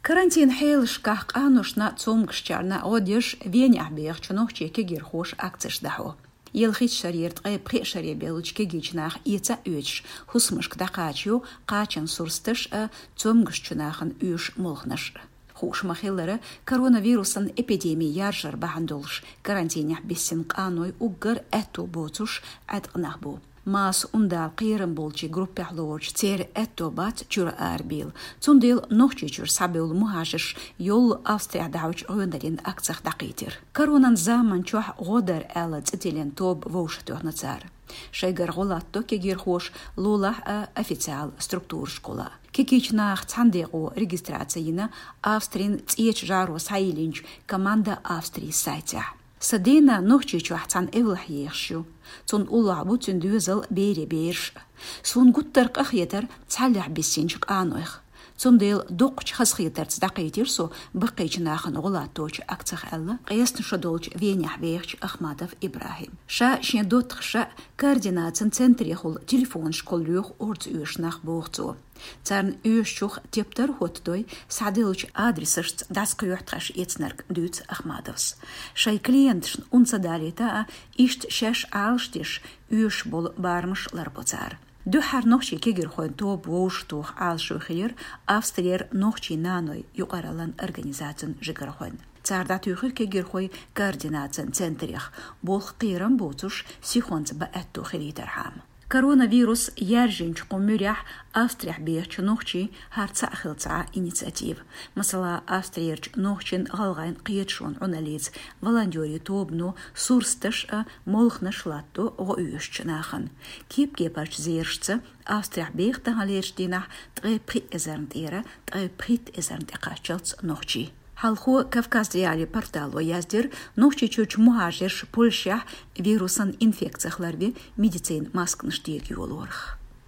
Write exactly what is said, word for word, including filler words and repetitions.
Карантин хьелашкахь къаношна, цомгашчарна гӀо деш Венехь бехачу нохчийн кегийрхоша акцеш дӀахьо. Ялхитта шарера ткъе пхи шаре бевллачу кегийчу наха эца а оьцуш, хӀусамашка дӀакхачайо кхачан сурсаташ а, цомгашчу нахана оьшу молханаш а. Хууш ма-хиллара, коронавирусан эпидеми яржар бахьана долуш карантинехь биссина къаной уггар аьтто боцуш Ӏаьткъа нах бу. Маса, ундала кхерам болчийн группехь лоручу церан аьтто бац чуьра арабийла. Цундела Нохчийчуьра схьабевлла мухӀажарш йоллу Австрехь дӀахьочу гӀоьналлин акцех дӀакхийтира. Коронан заман чохь гӀо дара аьлла цӀе тиллина тоба вовшахтоьхна цара. Шайгара гӀо латтадо кегийрхоша лулахь а, официал структурашкахула. Кегийчу наха цхьана декъо регистраци йина Австрин цӀечу жӀаро схьайиллинчу «Команда Австрии» сайтехь. Сан дена Нохчийчохь цхьана эвлахь ехаш ю. Цунна уллохь бу цуьнан доьзал, берийн бераш а. Суна гуттар а къа хетара цхьаллехь биссинчу къанойх. Цундела дуккхачу хазахетарца дӀакхийтира со баккхийчу нахана гӀо латточу акцех аьлла, къестана шо долчу Венехь вехачу Ахмадов ИбрахӀима. Ша шен доттагӀаша а, координацин центрехула телефонашкахула лоьху орца оьшу нах, боху цо. Царна оьшучух тептар а хӀоттадой, схьаделлачу адресашца дӀасакхоьхьу тхаьш эцнарг, дуьйцу Ахмадовс. Шайн клиенташна ун ца далийта а, иштта шаьш Ӏалашдеш, оьшуш болу барамаш ларбо цара. Дуьххьара нохчийн кегийрхойн тоба вовшахтоха Ӏалашо хилира Австрера нохчийн нанойн юкъараллин организацин жигархойн. Цара дӀатуьйхира кегийрхой координацин центрех, болх кхерам боцуш, сихонца бан аьтто хилийтархьама. Коронавирус яьржинчу кху муьрехь Австрехь бехачу нохчийн хӀара цхьаъ хилла цхьа инициатива. Масала, Австрерчу нохчийн-гӀалгӀайн кхеташонан Ӏуналлица волонтерийн тобано сурсаташ а, молханаш а латтадо гӀо оьшучу нахана. Кеп-кепарчу зерашца, Австрехь беха таханлерчу дийнахь ткъе пхи эзарна тӀера ткъе пхийтта эзарна тӀе кхаччалц нохчий. Хьалхо Кавказ.Реалии портало яздира Нохчийчуьрчу мухӀажарша Польшехь вирусан инфекцех ларве медицинан масканаш дега йолорах.